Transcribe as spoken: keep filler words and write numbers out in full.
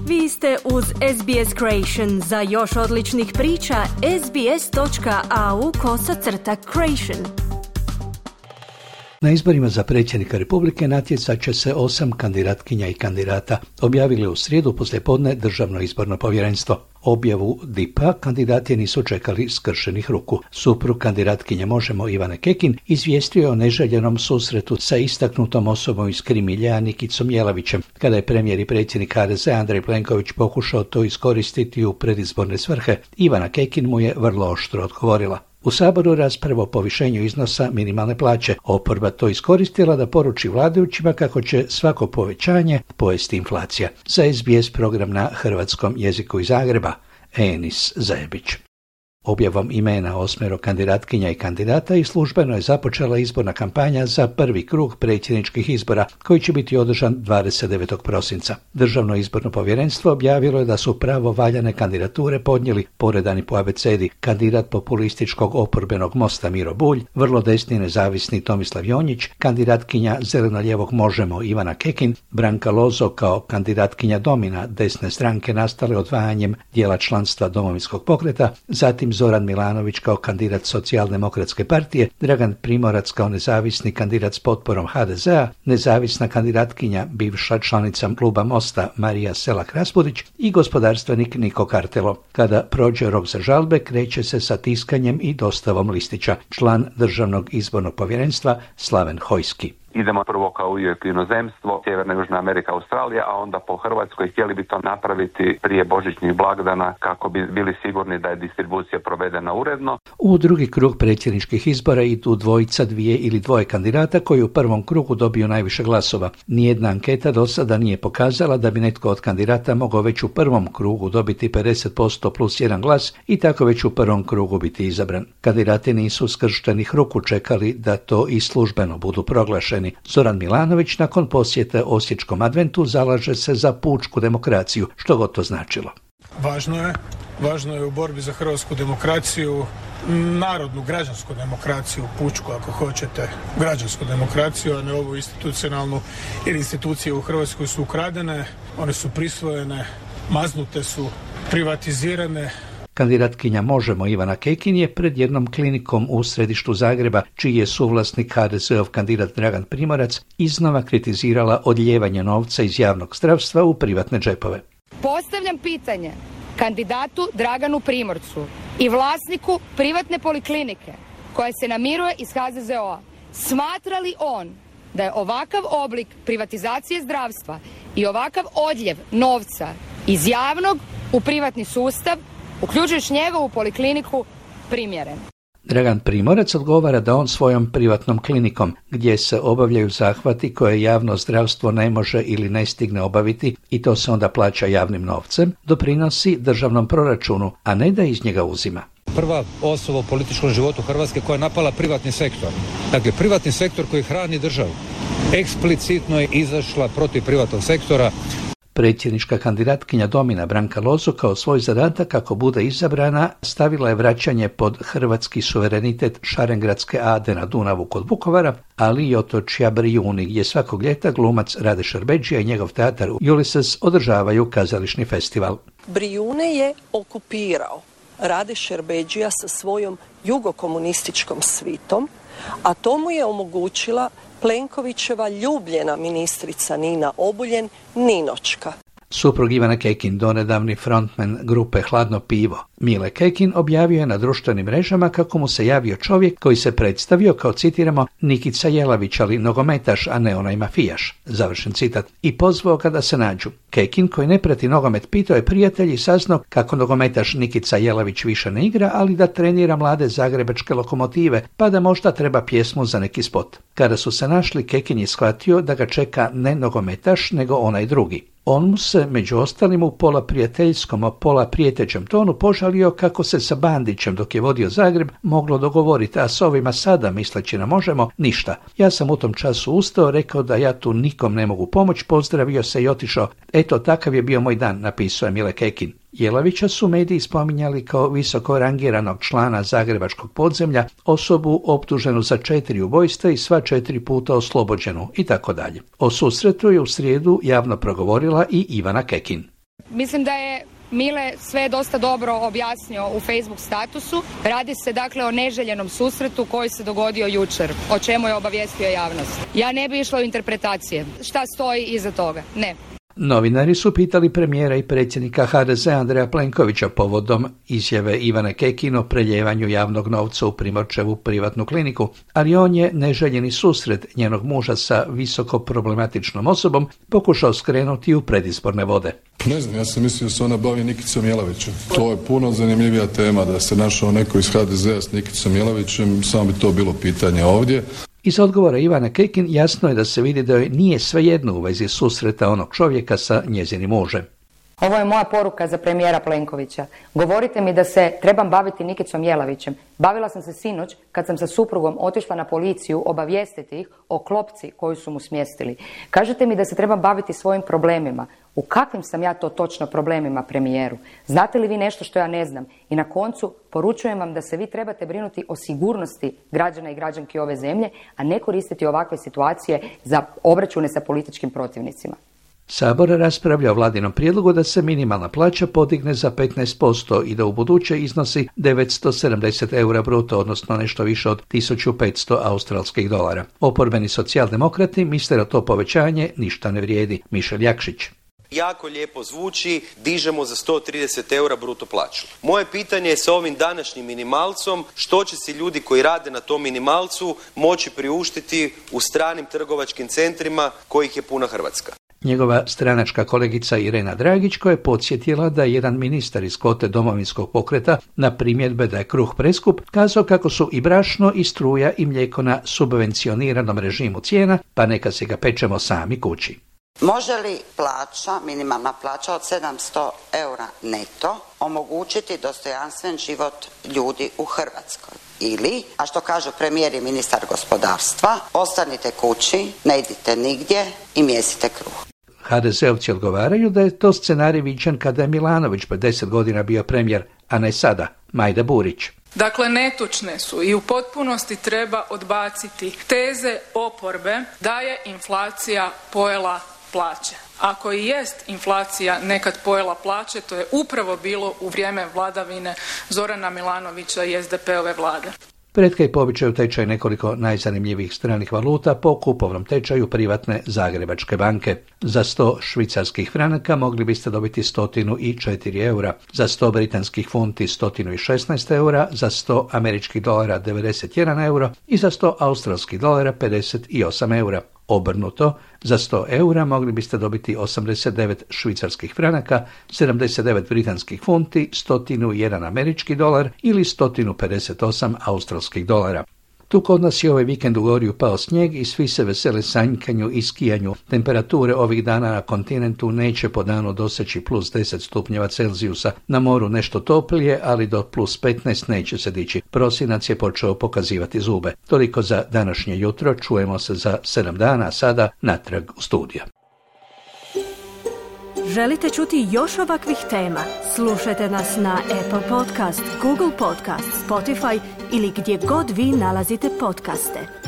Vi ste uz S B S Creation. Za još odličnih priča, sbs.au kosacrta creation. Na izborima za predsjednika Republike natjecat će se osam kandidatkinja i kandidata, objavili u srijedu poslijepodne Državno izborno povjerenstvo. Objavu D I P-a kandidati nisu čekali skršenih ruku. Suprug kandidatkinje Možemo Ivane Kekin izvijestio je o neželjenom susretu sa istaknutom osobom iz Krimilja Nikicom Jelavićem, kada je premijer i predsjednik H D Z Andrej Plenković pokušao to iskoristiti u predizborne svrhe. Ivana Kekin mu je vrlo oštro odgovorila. U Saboru rasprava o povišenju iznosa minimalne plaće. Oporba to iskoristila da poruči vladajućima kako će svako povećanje pojesti inflacija. Za S B S program na hrvatskom jeziku iz Zagreba, Enis Zajebić. Objavom imena osmero kandidatkinja i kandidata i službeno je započela izborna kampanja za prvi krug predsjedničkih izbora, koji će biti održan dvadeset devetog prosinca. Državno izborno povjerenstvo objavilo je da su pravovaljane kandidature podnijeli poredani po abecedi kandidat populističkog oporbenog Mosta Miro Bulj, vrlo desni nezavisni Tomislav Jonjić, kandidatkinja zeleno-lijevog Možemo Ivana Kekin, Branka Lozo kao kandidatkinja Domina desne stranke nastale odvajanjem dijela članstva Domovinskog pokreta, zatim Zoran Milanović kao kandidat Socijaldemokratske partije, Dragan Primorac kao nezavisni kandidat s potporom H D Z-a, nezavisna kandidatkinja bivša članica kluba Mosta Marija Selak-Raspudić i gospodarstvenik Niko Kartelo. Kada prođe rok za žalbe, kreće se sa tiskanjem i dostavom listića. Član Državnog izbornog povjerenstva Slaven Hojski. Idemo prvo kao uvijek u inozemstvo, Sjeverna, Južna Amerika, Australija, a onda po Hrvatskoj. Htjeli bi to napraviti prije božićnih blagdana kako bi bili sigurni da je distribucija provedena uredno. U drugi krug predsjedničkih izbora idu dvojica, dvije ili dvoje kandidata koji u prvom krugu dobiju najviše glasova. Nijedna anketa do sada nije pokazala da bi netko od kandidata mogao već u prvom krugu dobiti pedeset posto plus jedan glas i tako već u prvom krugu biti izabran. Kandidati nisu skrštenih ruku čekali da to i službeno budu proglašeni. Zoran Milanović nakon posjete Osječkom adventu zalaže se za pučku demokraciju, što god to značilo. Važno je, važno je u borbi za hrvatsku demokraciju, narodnu, građansku demokraciju, pučku ako hoćete, građansku demokraciju, a ne ovu institucionalnu, jer institucije u Hrvatskoj su ukradene, one su prisvojene, maznute su, privatizirane. Kandidatkinja Možemo Ivana Kekin je pred jednom klinikom u središtu Zagreba, čiji je suvlasnik H D Z-ov kandidat Dragan Primorac, iznova kritizirala odlijevanje novca iz javnog zdravstva u privatne džepove. Postavljam pitanje kandidatu Draganu Primorcu i vlasniku privatne poliklinike koja se namiruje iz H Z Z O-a. Smatra li on da je ovakav oblik privatizacije zdravstva i ovakav odljev novca iz javnog u privatni sustav, uključujući njegovu polikliniku, primjeren? Dragan Primorac odgovara da on svojom privatnom klinikom, gdje se obavljaju zahvati koje javno zdravstvo ne može ili ne stigne obaviti i to se onda plaća javnim novcem, doprinosi državnom proračunu, a ne da iz njega uzima. Prva osoba u političkom životu Hrvatske koja je napala privatni sektor. Dakle, privatni sektor koji hrani državu. Eksplicitno je izašla protiv privatnog sektora. Predsjednička kandidatkinja Domina Branka Lozo kao svoj zadatak kako bude izabrana stavila je vraćanje pod hrvatski suverenitet Šarengradske ade na Dunavu kod Vukovara, ali i otočja Brijuni, gdje svakog ljeta glumac Rade Šerbedžija i njegov teatar Ulysses održavaju kazališni festival. Brijune je okupirao Rade Šerbedžija sa svojom jugokomunističkom svitom, a to mu je omogućila Plenkovićeva ljubljena ministrica Nina Obuljen, Ninočka. Suprug Ivana Kekin, donedavni frontman grupe Hladno pivo, Mile Kekin, objavio je na društvenim mrežama kako mu se javio čovjek koji se predstavio kao, citiramo, Nikica Jelavić, ali nogometaš, a ne onaj mafijaš, završen citat, i pozvao ga da se nađu. Kekin, koji ne prati nogomet, pitao je prijatelji i saznao kako nogometaš Nikica Jelavić više ne igra, ali da trenira mlade zagrebačke Lokomotive, pa da možda treba pjesmu za neki spot. Kada su se našli, Kekin je shvatio da ga čeka ne nogometaš, nego onaj drugi. On mu se, među ostalim, u pola prijateljskom, a pola prijetećem tonu požalio kako se sa Bandićem, dok je vodio Zagreb, moglo dogovoriti, a s ovima sada, misleći na Možemo, ništa. Ja sam u tom času ustao, rekao da ja tu nikom ne mogu pomoći, pozdravio se i otišao. Eto, takav je bio moj dan, napisao je Mile Kekin. Jelavića su mediji spominjali kao visoko rangiranog člana zagrebačkog podzemlja, osobu optuženu za četiri ubojstva i sva četiri puta oslobođenu i tako dalje. O susretu je u srijedu javno progovorila i Ivana Kekin. mislim da je Mile sve dosta dobro objasnio u Facebook statusu. Radi se dakle o neželjenom susretu koji se dogodio jučer, o čemu je obavijestio javnost. Ja ne bi išla u interpretacije. Šta stoji iza toga? Ne. Novinari su pitali premijera i predsjednika ha de zea Andreja Plenkovića povodom izjave Ivane Kekin o preljevanju javnog novca u Primorčevu privatnu kliniku, ali on je neželjeni susret njenog muža sa visoko problematičnom osobom pokušao skrenuti u predizborne vode. Ne znam, ja sam mislio da se ona bavi Nikicom Jelavićem. To je puno zanimljivija tema, da se našao neko iz ha de zea s Nikicom Jelavićem, samo bi to bilo pitanje ovdje. Iz odgovora Ivane Kekin jasno je da se vidi da joj nije svejedno u vezi susreta onog čovjeka sa njezinim mužem. Ovo je moja poruka za premijera Plenkovića. Govorite mi da se trebam baviti Nikicom Jelavićem. Bavila sam se sinoć kad sam sa suprugom otišla na policiju obavijestiti ih o klopci koju su mu smjestili. Kažete mi da se trebam baviti svojim problemima. U kakvim sam ja to točno problemima, premijeru? Znate li vi nešto što ja ne znam? I na koncu poručujem vam da se vi trebate brinuti o sigurnosti građana i građanki ove zemlje, a ne koristiti ovakve situacije za obračune sa političkim protivnicima. Sabor raspravlja o vladinom prijedlogu da se minimalna plaća podigne za petnaest posto i da u buduće iznosi devetsto sedamdeset eura bruto, odnosno nešto više od tisuću petsto australskih dolara. Oporbeni socijaldemokrati misle da to povećanje ništa ne vrijedi. Mišel Jakšić. Jako lijepo zvuči, dižemo za sto trideset eura bruto plaću. Moje pitanje je sa ovim današnjim minimalcom, što će si ljudi koji rade na tom minimalcu moći priuštiti u stranim trgovačkim centrima kojih je puna Hrvatska. Njegova stranačka kolegica Irena Dragić, koja je podsjetila da je jedan ministar iz kvote Domovinskog pokreta na primjedbe da je kruh preskup, kazao kako su i brašno i struja i mlijeko na subvencioniranom režimu cijena, pa neka se ga pečemo sami kući. Može li plaća, minimalna plaća od sedamsto eura neto omogućiti dostojanstven život ljudi u Hrvatskoj? Ili, a što kažu premijer i ministar gospodarstva, ostanite kući, ne idite nigdje i mjesite kruh. ha de zeovci odgovaraju da je to scenarij viđen kada je Milanović pred deset godina bio premijer, a ne sada. Majda Burić. Dakle, netočne su i u potpunosti treba odbaciti teze oporbe da je inflacija pojela plaće. Ako i jest inflacija nekad pojela plaće, to je upravo bilo u vrijeme vladavine Zorana Milanovića i es de pe ove vlade. Pred kraj povećaju tečaj nekoliko najzanimljivijih stranih valuta po kupovnom tečaju privatne Zagrebačke banke. Za sto švicarskih franaka mogli biste dobiti stotinu i četiri eura, za sto britanskih funti stotinu i šesnaest eura, za sto američkih dolara devedeset jedan euro i za sto australskih dolara pedeset osam eura. Obrnuto, za sto eura mogli biste dobiti osamdeset devet švicarskih franaka, sedamdeset devet britanskih funti, stotinu jedan američki dolar ili stotinu pedeset osam australskih dolara. Tu kod nas je ovaj vikend u Gorju pao snijeg i svi se vesele sanjkanju i skijanju. Temperature ovih dana na kontinentu neće po danu doseći plus deset stupnjeva Celzijusa. Na moru nešto toplije, ali do plus petnaest neće se dići. Prosinac je počeo pokazivati zube. Toliko za današnje jutro, čujemo se za sedam dana, a sada natrag u studio. Želite čuti još ovakvih tema? Slušajte nas na Apple Podcast, Google Podcast, Spotify ili gdje god vi nalazite podcaste.